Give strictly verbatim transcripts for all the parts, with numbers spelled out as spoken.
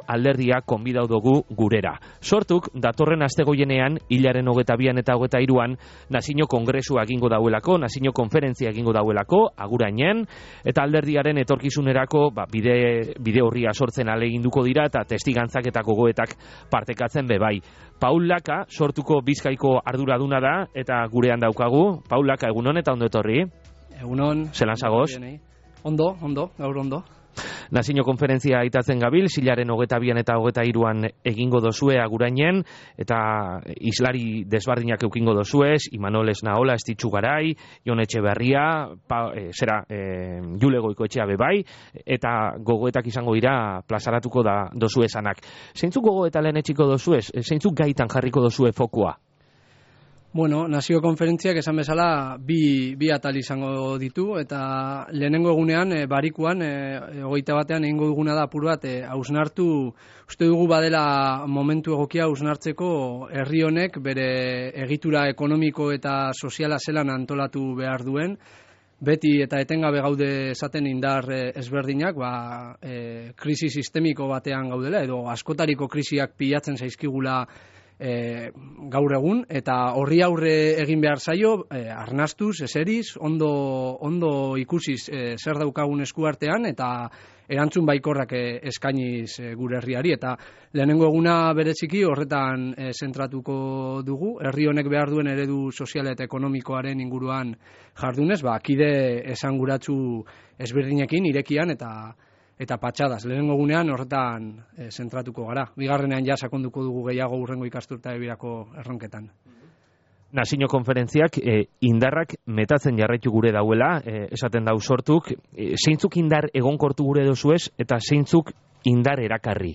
alderdia konbidau dugu gurera. Sortuk, datorren astegoienean, hilaren hogeta bian eta hogeta iruan, nazio kongresua egingo dauelako, nazio konferentzia egingo dauelako, agurainen, eta alderdiaren etorkizunerako ba, bide, bide horria sortzen aleginduko dira, eta testigantzak eta gogoetak partekatzen bebai. Paul Laka, Sortuko Bizkaiko arduraduna da, eta gurean daukagu. Paul Laka, egunon eta ondo etorri? Egunon. Zelan zagoz? Ondo, ondo, gaur ondo. Nazio konferentzia aitatzen gabil, hilaren hogeta bian eta hogeta iruan egingo dozue agurainen, eta islari desbardinak eukingo dozuez, Imanol Esnaola, Estitxu Garai, Jon Etxeberria, pa, e, zera, e, Jule Goikoetxea bebai, eta gogoetak izango dira plazaratuko da dozue esanak. Zeintzuk gogoeta lehen etxiko dozuez? Zeintzuk gaitan jarriko dozue fokua? Bueno, nazio konferentziak esan bezala bi, bi atal izango ditu, eta lehenengo egunean, e, barikuan, e, hogeita batean egingo duguna da apur bat, e, hausnartu, uste dugu badela momentu egokia hausnartzeko herri honek bere egitura ekonomiko eta soziala zelan antolatu behar duen, beti eta etengabe gaude esaten indar e, ezberdinak, ba, e, krisi sistemiko batean gaudela, edo askotariko krisiak pilatzen zaizkigula E, gaur egun, eta horri aurre egin behar zaio, e, arnastuz, eseriz, ondo, ondo ikusiz e, zer daukagun eskuartean, eta erantzun baikorrak e, eskainiz e, gure herriari, eta lehenengo eguna bereziki horretan e, zentratuko dugu, herri honek behar duen eredu soziala eta ekonomikoaren inguruan jardunez, ba, kide esanguratsu ezberdinekin, irekian, eta eta patxadas. Lehenengo gunean horretan e, zentratuko gara. Bigarrenean ja sakonduko dugu gehiago urrengo ikasturta ebirako erronketan. Nazio konferentziak e, indarrak metatzen jarraitu gure dauela, e, esaten dau Sortuk, e, zeintzuk indar egonkortu gure dozuez eta zeintzuk indar erakarri?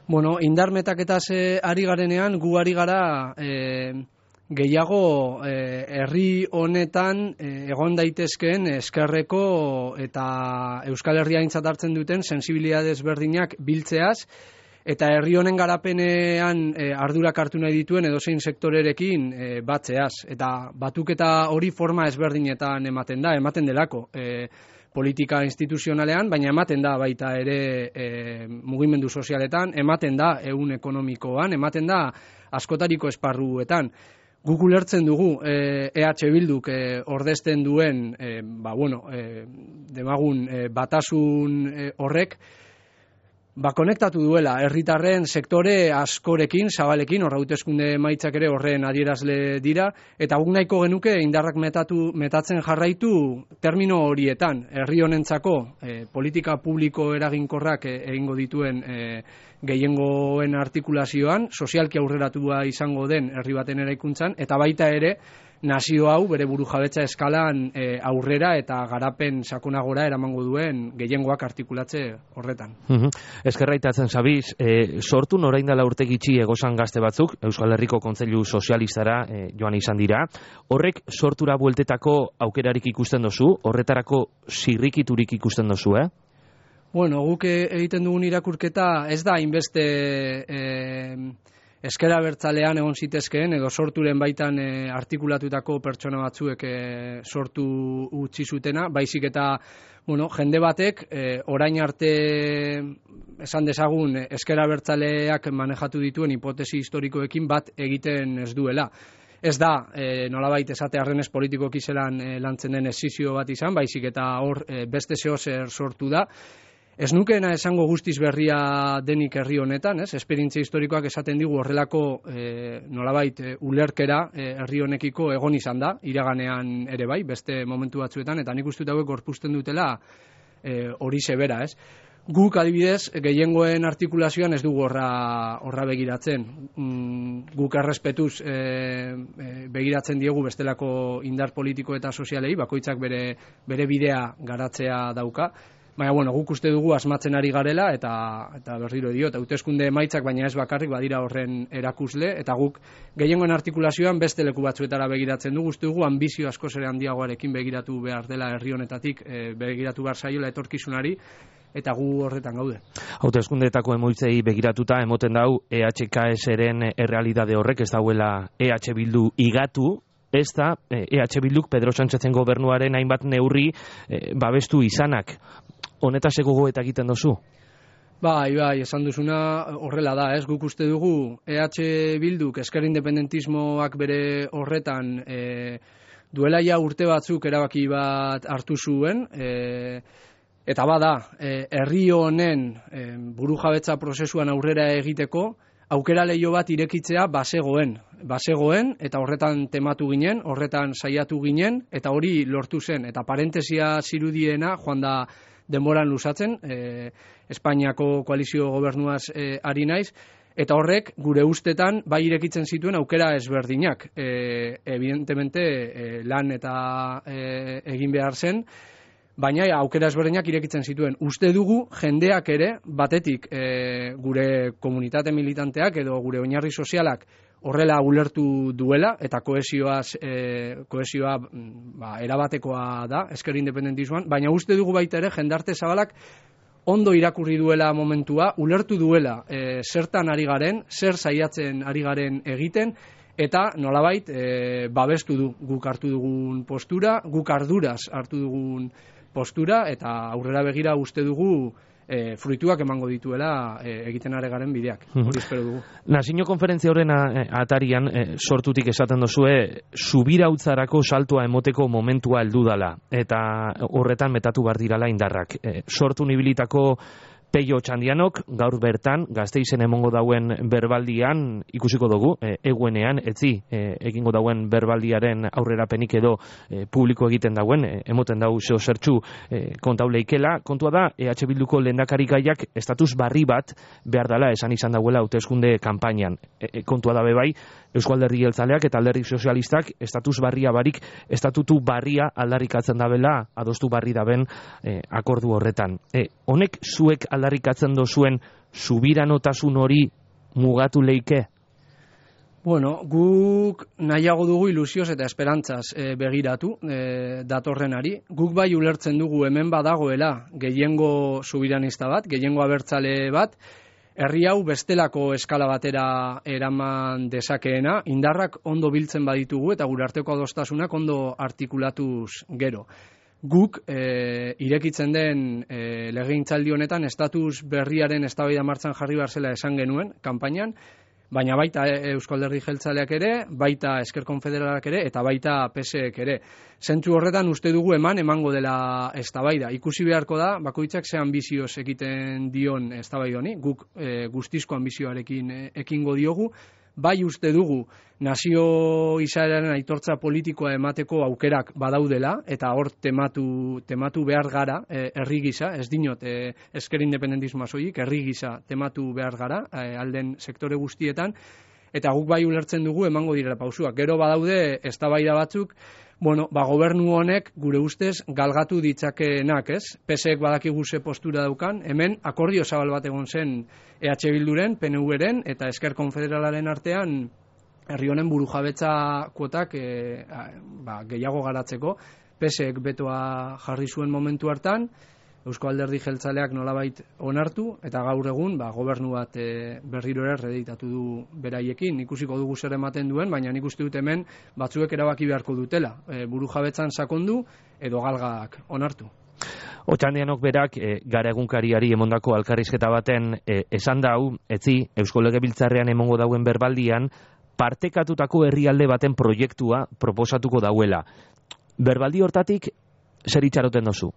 Bueno, indar metaketaz e, ari garenean, gu ari gara e, gehiago herri honetan e, egon daitezkeen eskerreko eta Euskal Herria aintzat hartzen duten sensibilidade ezberdinak biltzeaz, eta herri honen garapenean e, ardurak hartu nahi dituen edozein sektorerekin e, batzeaz. Eta batuketa hori forma ezberdinetan ematen da, ematen delako. E, politika instituzionalean, baina ematen da baita ere e, mugimendu sozialetan, ematen da ehun ekonomikoan, ematen da askotariko esparruetan. Guk ulertzen dugu E H Bilduk e, ordezten duen e, ba, bueno, e, demagun e, batasun e, horrek ba, konektatu duela herritarren sektore askorekin, zabalekin, horra hauteskunde emaitzak ere horren adierazle dira, eta guk nahiko genuke indarrak metatu, metatzen jarraitu termino horietan, herri honentzako e, politika publiko eraginkorrak e, egingo dituen e, gehiengoen artikulazioan, sozialki aurreratua izango den herri baten eraikuntzan, eta baita ere nazio hau bere burujabetza eskalan e, aurrera eta garapen sakonagora eramango duen gehiengoak artikulatze horretan. Uh-huh. Eskerraitatzen zabiz, e, Sortu orain dela urte gitxi egozan gazte batzuk, Euskal Herriko Kontseilu Sozialistara e, joan izan dira. Horrek Sortura bueltetako aukerarik ikusten dozu, horretarako zirrikiturik ikusten dozu, eh? Bueno, guk egiten dugun irakurketa ez da hainbeste e, eskera bertzalean egon zitezkeen, edo Sorturen baitan e, artikulatutako pertsona batzuek e, sortu utzi zutena, baizik eta bueno, jende batek e, orain arte esan dezagun eskera bertzaleak manejatu dituen hipotesi historikoekin bat egiten ez duela. Ez da, e, nolabait esate arrenez politikoki zelan e, lantzen den esizio bat izan, baizik eta hor e, beste zehozer sortu da. Ez nukeena esango guztiz berria denik herri honetan, ez? Esperientzia historikoak esaten digu horrelako e, nolabait e, ulerkera e, herri honekiko egon izan da, iraganean ere bai, beste momentu batzuetan, eta nik uste hauek gorpuzten dutela e, hori zebera, ez? Guk adibidez, gehiengoen artikulazioan ez dugu horra, horra begiratzen. Mm, guk errespetuz e, e, begiratzen diegu bestelako indar politiko eta sozialei, bakoitzak bere, bere bidea garatzea dauka. Baina, bueno, guk uste dugu asmatzen ari garela, eta, eta berriro diot, hauteskunde emaitzak, baina ez bakarrik badira horren erakusle, eta guk gehiengoen artikulazioan beste leku batzuetara begiratzen dugu, uste dugu ambizio askoz ere handiagoarekin begiratu behar dela herri honetatik, e, begiratu behar zaiola etorkizunari, eta gu horretan gaude. Hauteskundeetako emoitzei begiratuta emoten dau E H K S-ren errealidade horrek ez dauela E H Bildu igatu, ez da E H Bilduk Pedro Sánchezen gobernuaren hainbat neurri e, babestu izanak. Honetaz gogoeta egiten dozu? Bai, bai, esan duzuna horrela da, ez? Guk uste dugu E H Bilduk ezker independentismoak bere horretan e, duela ja urte batzuk erabaki bat hartu zuen, e, eta bada, e, herri honen e, burujabetza prozesuan aurrera egiteko, aukera leiho bat irekitzea bazegoen, bazegoen, eta horretan tematu ginen, horretan saiatu ginen, eta hori lortu zen, eta parentesia zirudiena, joan da denboran luzatzen, e, Espainiako koalizio gobernuaz e, ari naiz, eta horrek gure ustetan bai irekitzen zituen aukera ezberdinak. E, evidentemente e, lan eta e, egin behar zen, baina aukera ezberdinak irekitzen zituen. Uste dugu jendeak ere, batetik e, gure komunitate militanteak edo gure oinarri sozialak horrela ulertu duela, eta kohesioaz, e, kohesioa ba, erabatekoa da, ezker independentismoan, baina uste dugu baita ere jendarte zabalak ondo irakurri duela momentua, ulertu duela e, zertan ari garen, zer saiatzen ari garen egiten, eta nolabait e, babestu du guk hartu dugun postura, guk arduraz hartu dugun postura, eta aurrera begira uste dugu E, fruituak emango dituela e, egiten are garen bideak, hori espero dugu. Nazio konferentzia horren atarian e, sortutik esaten dozue, subirautzarako saltoa emoteko momentua heldu dala, eta horretan metatu bar dirala indarrak. E, sortu nibilitako Peio Txandianok, gaur bertan, Gasteizen emongo dauen berbaldian, ikusiko dugu, e, eguenean, etzi, e, egingo dauen berbaldiaren aurrerapenik edo e, publiko egiten dauen, e, emoten dau zeo zertxu e, kontauleikela. Kontua da, E H Bilduko lehendakari gaiak estatus barri bat behar dela esan izan dauela hauteskunde kanpainan. E, e, kontua da bebai, Eusko Alderdi Jeltzaleak eta Alderdi Sozialistak estatus barria barik, estatutu barria aldarrikatzen dabela, adostu barri daben e, akordu horretan. E, honek zuek aldarrikatzen dozuen subiranotasun hori mugatu leike? Bueno, guk nahiago dugu ilusioz eta esperantzaz e, begiratu e, datorrenari. Guk bai ulertzen dugu hemen badagoela gehiengo subiranista bat, gehiengo abertzale bat, herri hau bestelako eskala batera eraman dezakeena, indarrak ondo biltzen baditugu eta gure arteko adostasunak ondo artikulatuz gero. Guk e, irekitzen den e, legegintzaldi honetan estatus berriaren eztabaida martxan jarri behar zela esan genuen kanpainan, baina baita Eusko Alderdi Jeltzaleak ere, baita Ezker Konfederalak ere, eta baita P S Ek ere. Zentzu horretan uste dugu eman emango dela eztabaida. Ikusi beharko da, bakoitzak ze ambizioz egiten dion eztabaida honi, guk e, guztizko ambizioarekin e, ekingo diogu, bai uste dugu nazio izaeraren aitortza politikoa emateko aukerak badaudela, eta hor tematu, tematu behar gara, e, herri gisa, ez dinot e, ezker independentismoa soilik, herri gisa tematu behar gara, e, alden sektore guztietan, eta guk bai ulertzen dugu emango direla pausuak. Gero badaude eztabaida batzuk, bueno, ba, gobernu honek gure ustez galgatu ditzakeenak, ez? P S Ek badakigu ze postura daukan, hemen akordio zabal bat egon zen E H Bilduren, P N V-ren eta Ezker Konfederalaren artean herri honen burujabetza kuotak e, ba, gehiago garatzeko. P S Ek betoa jarri zuen momentu hartan, Eusko Alderdi Jeltzaleak nolabait onartu, eta gaur egun ba, gobernu bat e, berriro ere reditatu du beraiekin. Ikusiko dugu zer ematen duen, baina nik uste dut hemen batzuek erabaki beharko dutela. E, burujabetzan sakondu edo galgak onartu. Otxandianok berak, e, gara egunkariari emondako alkarrizketa baten e, esan dau, etzi, Eusko Legebiltzarrean emongo dauen berbaldian, partekatutako herrialde baten proiektua proposatuko dauela. Berbaldi hortatik, zer itxaroten dozu?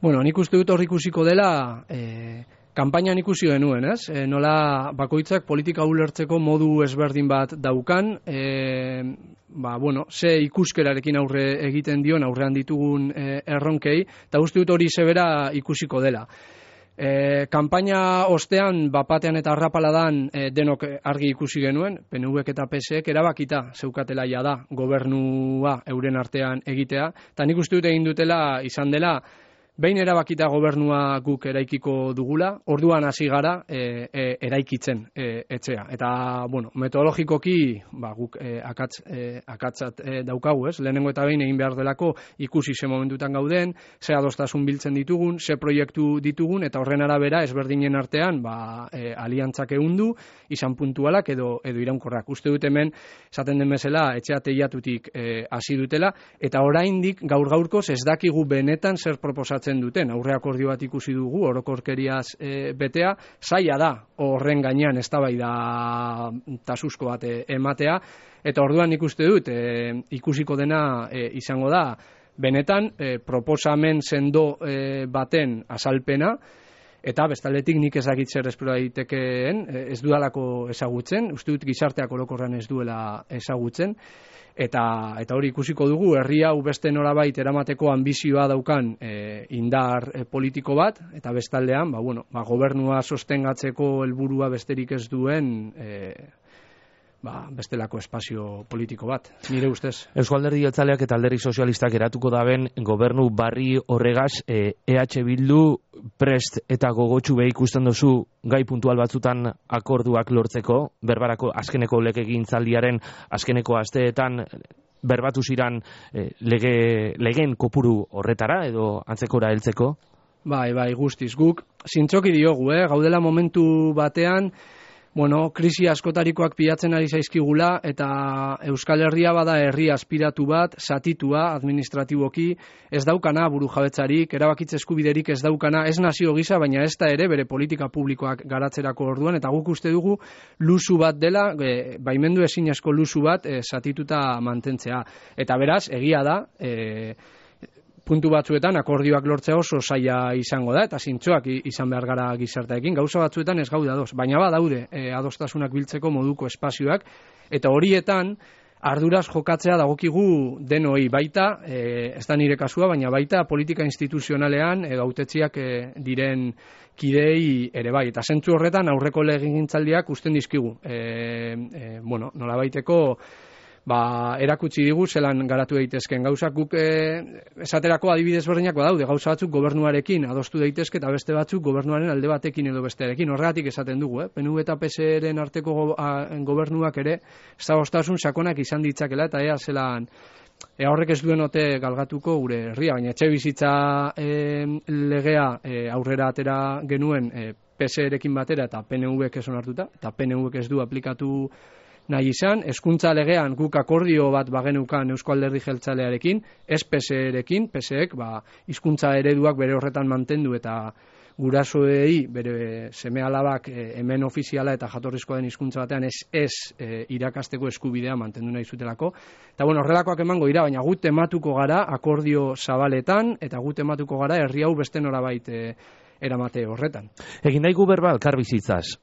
Bueno, nik uste dut hor ikusiko dela, e, kanpainan ikusi genuen, ez? E, nola bakoitzak politika ulertzeko modu ezberdin bat daukan, e, ba, bueno, ze ikuskerarekin aurre egiten dion, aurrean ditugun e, erronkei, eta uste dut hori zebera ikusiko dela. E, kanpaina ostean, bapatean eta arrapaladan e, denok argi ikusi genuen, P N V eta P S Ek erabakita zeukatela ja da gobernua euren artean egitea, eta nik uste dut egin dutela izan dela, behin erabakita gobernua guk eraikiko dugula, orduan hasi gara e, e, eraikitzen e, etxea. Eta, bueno, metodologikoki ba, guk e, akatz, e, akatzat e, daukagu, ez? Lehenengo eta behin egin behar delako ikusi ze momentutan gauden, ze adostasun biltzen ditugun, ze proiektu ditugun, eta horren arabera ezberdinen artean ba, e, aliantzak ehundu, izan puntualak edo, edo iraunkorrak. Uste dut hemen, esaten den bezala, etxea teiatutik hasi e, dutela, eta oraindik gaur gaurkoz ez dakigu benetan zer proposatzen betetzen duten. Aurre akordio bat ikusi dugu, orokorkeriaz e, betea, zaila da horren gainean eztabaida tasusko bat e, ematea, eta orduan ikuste dut, e, ikusiko dena e, izango da, benetan e, proposamen sendo e, baten azalpena, eta bestaldetik nik ezagit zer espero daitekeen, ez dudalako ezagutzen, uste dut gizarteak orokorran ez duela ezagutzen, eta eta hori ikusiko dugu, herri hau beste norabait eramateko ambizioa daukan e, indar e, politiko bat, eta bestaldean, ba, bueno, ba, gobernua sostengatzeko helburua besterik ez duen e, ba, bestelako espazio politiko bat, nire ustez. Eusko Alderdi Jeltzaleak eta Alderdi Sozialistak eratuko daben gobernu barri horregaz, e, EH Bildu prest eta gogotsu be ikusten duzu gai puntual batzutan akorduak lortzeko, berbarako azkeneko legegintzaldiaren azkeneko asteetan berbatu ziran e, lege, legeen kopuru horretara edo antzekora heltzeko? Bai, bai, guztiz, guk zintzoki diogu, eh? Gaudela momentu batean, bueno, krisi askotarikoak pilatzen ari zaizkigula, eta Euskal Herria bada herri aspiratu bat, zatitua, administratiboki, ez daukana burujabetzarik, erabakitze eskubiderik ez daukana, ez nazio gisa, baina ez da ere bere politika publikoak garatzerako orduan, eta guk uste dugu luzu bat dela, e, baimendu ezinezko luzu bat, e, zatituta mantentzea. Eta beraz, egia da, e, puntu batzuetan akordioak lortzea oso zaila izango da, eta zintzoak izan behar gara gizarteekin, gauza batzuetan ez gaude ados, baina badaude e, adostasunak biltzeko moduko espazioak, eta horietan arduraz jokatzea dagokigu denoi baita, e, ez da nire kasua, baina baita politika instituzionalean edo hautetziak e, diren kidei ere bai, eta zentzu horretan aurreko legegintzaldiak usten dizkigu, e, e, bueno, nolabaiteko ba, erakutsi digu zelan garatu daitezken gauzak, guk e, esaterako adibidez berdinak badaude, gauza batzuk gobernuarekin adostu daitezke eta beste batzuk gobernuaren alde batekin edo bestearekin, horregatik esaten dugu, eh? P N V eta P S E-ren arteko go, a, gobernuak ere zagostasun sakonak izan ditzakela, eta ea zelan ea horrek ez duen ote galgatuko gure herria, baina etxe bizitza e, legea e, aurrera atera genuen e, P S E-rekin batera eta P N V-ek ez onartuta, eta P N V-ek ez du aplikatu nahi izan, hezkuntza legean guk akordio bat bagenukan Eusko Alderdi Jeltzalearekin, ez P S E-rekin, P S E-ek ba, hizkuntza ereduak bere horretan mantendu eta gurasoei bere seme alabak e, hemen ofiziala eta jatorrizkoa den hizkuntza batean ez, ez e, irakasteko eskubidea mantendu nahi zutelako. Eta bueno, horrelakoak emango dira, baina gut tematuko gara akordio zabaletan, eta gut tematuko gara herri hau beste norabait e, eramate horretan. Egin daigu berba elkarbizitzaz.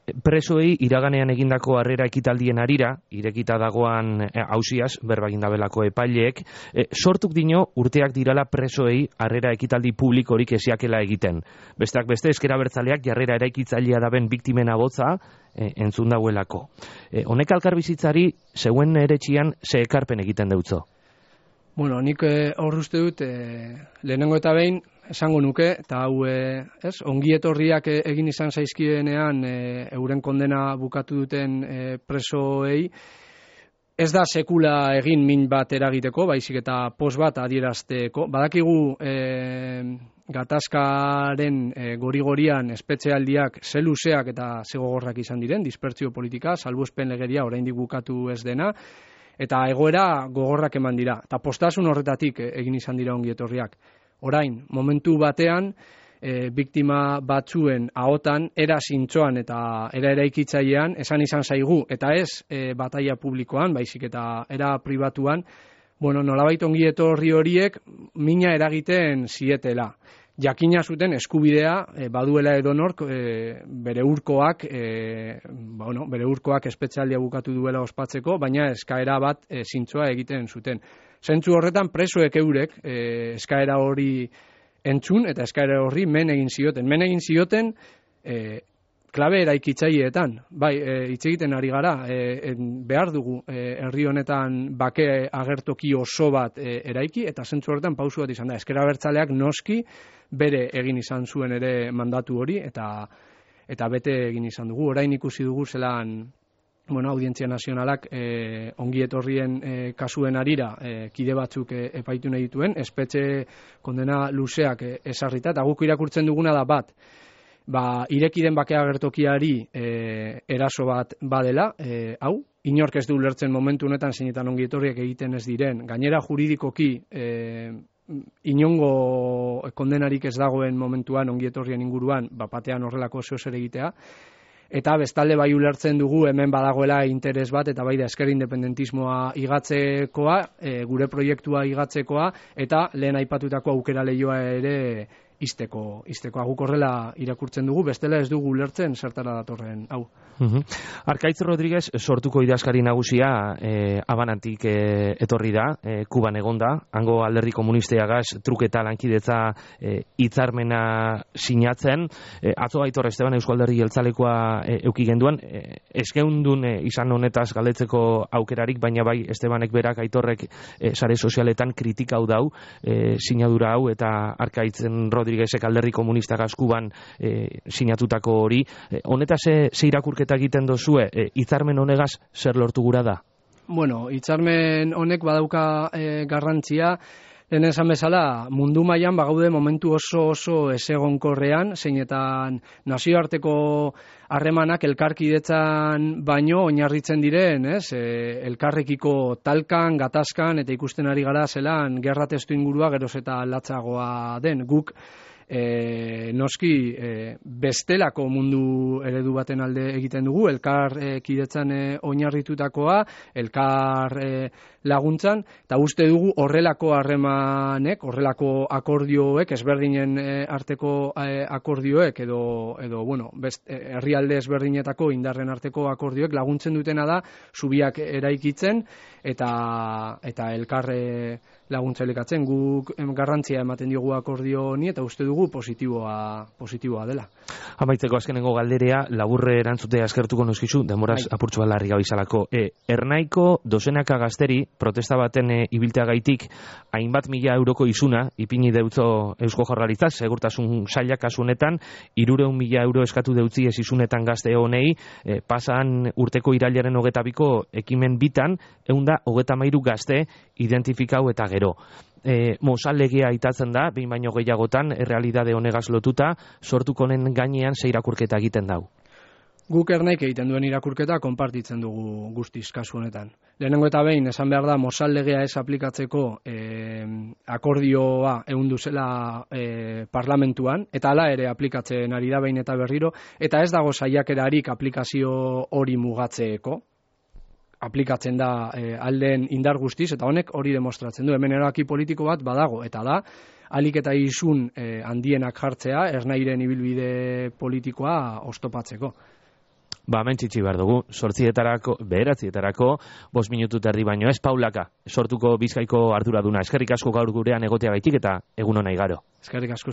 Presoei iraganean egindako harrera ekitaldien arira, irekita dagoan auziaz, berba egindabelako epaileek, e, sortuk dino urteak dirala presoei harrera ekitaldi publikorik esiakela egiten. Besteak beste, ezker abertzaleak jarrera eraikitzailea daben biktimen abotza e, entzun dauelako. E, honek elkarbizitzari zeuen eretxian ze ekarpen egiten deutzo? Bueno, nik hor uste dut, e, lehenengo eta behin, esango nuke, eta hau e, ez, ongi etorriak egin izan zaizkienean e, euren kondena bukatu duten e, presoei, ez da sekula egin min bat eragiteko, baizik eta pos bat adierazteko. Badakigu e, gatazkaren e, gori-gorian espetxealdiak ze luzeak eta ze gogorrak izan diren, dispertsio politika, salbuespen legedia oraindik bukatu ez dena, eta egoera gogorrak eman dira. Eta postasun horretatik egin izan dira ongi etorriak. Orain, momentu batean, e, biktima batzuen ahotan, era zintzoan eta era eraikitzailean, esan izan zaigu, eta ez e, bataia publikoan, baizik eta era pribatuan, bueno, nolabait ongi etorri horiek mina eragiten zietela. Jakina zuten eskubidea e, baduela edonork e, bere urkoak, e, bueno, bere urkoak espetxealdia bukatu duela ospatzeko, baina eskaera bat e, zintzoa egiten zuten. Zentzu horretan presoek eurek e, eskaera hori entzun eta eskaera horri men egin zioten. Men egin zioten e, klabe eraikitzaileetan. Bai, e, hitz egiten ari gara, e, en, behar dugu e, herri honetan bake agertoki oso bat e, eraiki, eta zentzu horretan pausu bat izan da. Ezker Abertzaleak noski bere egin izan zuen ere mandatu hori, eta eta bete egin izan dugu. Orain ikusi dugu zelan, bueno, Audientzia Nazionalak e, ongi etorrien e, kasuen arira e, kide batzuk e, epaitu nahi dituen, espetxe kondena luzeak e, esarrita, eta guk irakurtzen duguna da bat, ba, irekiden bakea gertokiari e, eraso bat badela, e, hau, inork ez du ulertzen momentu honetan zeinetan ongi etorriak egiten ez diren, gainera juridikoki e, inongo kondenarik ez dagoen momentuan ongietorrien inguruan, bapatean horrelako zeo zer egitea. Eta bestalde bai ulertzen dugu hemen badagoela interes bat, eta bai da esker independentismoa igatzekoa, e, gure proiektua igatzekoa, eta lehen aipatutako aukera lehioa ere izteko, izteko. Guk horrela irakurtzen dugu, bestela ez dugu ulertzen zertara datorren hau. Uhum. Arkaitz Rodriguez sortuko idazkari nagusia e, Abanantik e, etorri da, e, Kuban egonda, hango alderdi komunisteagaz truketa lankidetza e, hitzarmena sinatzen, e, atzo Aitor Esteban Eusko Alderdi Jeltzalekoa e, euki genduan, e, eskeundun e, izan honetaz galdetzeko aukerarik, baina bai Estebanek berak Aitorrek e, sare sozialetan kritika hau dau, e, sinadura hau, eta Arkaitzen Rodriguezek alderdi komunistagaz Kuban e, sinatutako hori, e, honetaz ze, ze irakurketa egiten dozue, e, hitzarmen honegaz zer lortu gura da? Bueno, hitzarmen honek badauka e, garrantzia, lehen esan bezala, mundu mailan bagaude momentu oso oso ezegonkorrean, zeinetan nazioarteko harremanak elkarkidetzan baino oinarritzen diren, ez? E, elkarrekiko talkan, gatazkan, eta ikusten ari gara zelan gerra testu ingurua geroz eta latzagoa den. Guk E, noski e, bestelako mundu eredu baten alde egiten dugu, elkar e, kidetzan e, oinarritutakoa, elkar e, laguntzan, eta uste dugu horrelako harremanek, horrelako akordioek, ezberdinen e, arteko e, akordioek, edo, edo bueno, best, e, herrialde ezberdinetako indarren arteko akordioek laguntzen dutena da, zubiak eraikitzen, eta, eta elkar e, laguntza elikatzen. Guk garrantzia ematen diogu akordio honi, eta uste dugu positiboa, positiboa dela. Amaitzeko azkenengo galderea, laburre erantzutea eskertuko noskizu, demoraz bai. Apurtxo larri gabizalako. E, ernaiko dozenaka gazteri, protesta baten e, ibilteagaitik, hainbat mila euroko izuna, ipini deutzo Eusko Jaurlaritzak, segurtasun sailak kasunetan, hirureun mila euro eskatu deutzi ez izunetan gazte honei, e, pasan urteko irailaren hogeta biko ekimen bitan, eunda hogeta mairu gazte identifikau eta gero. E, Mozal legea aitatzen da, behin baino gehiagotan, errealidade honegaz lotuta, sortuko honen gainean ze irakurketa egiten dau. Guk ernaik egiten duen irakurketa konpartitzen dugu guztiz kasu honetan. Lehenengo eta behin, esan behar da, Mozal legea ez aplikatzeko e, akordioa ehundu zela e, parlamentuan, eta hala ere aplikatzen ari da behin eta berriro, eta ez dago saiakerarik aplikazio hori mugatzeeko, aplikatzen da e, aldeen indar guztiz, eta honek hori demostratzen du. Hemen erabaki politiko bat badago, eta da, alik eta izun e, handienak jartzea, ernairen ibilbide politikoa oztopatzeko. Ba, mentxitsi behar dugu, sortzietarako, beheratzietarako, bost minutu terdi baino ez, Paulaka, sortuko Bizkaiko arduraduna. Eskerrik asko gaur gurean egoteagaitik eta egun hona igaro. Eskerrik asko.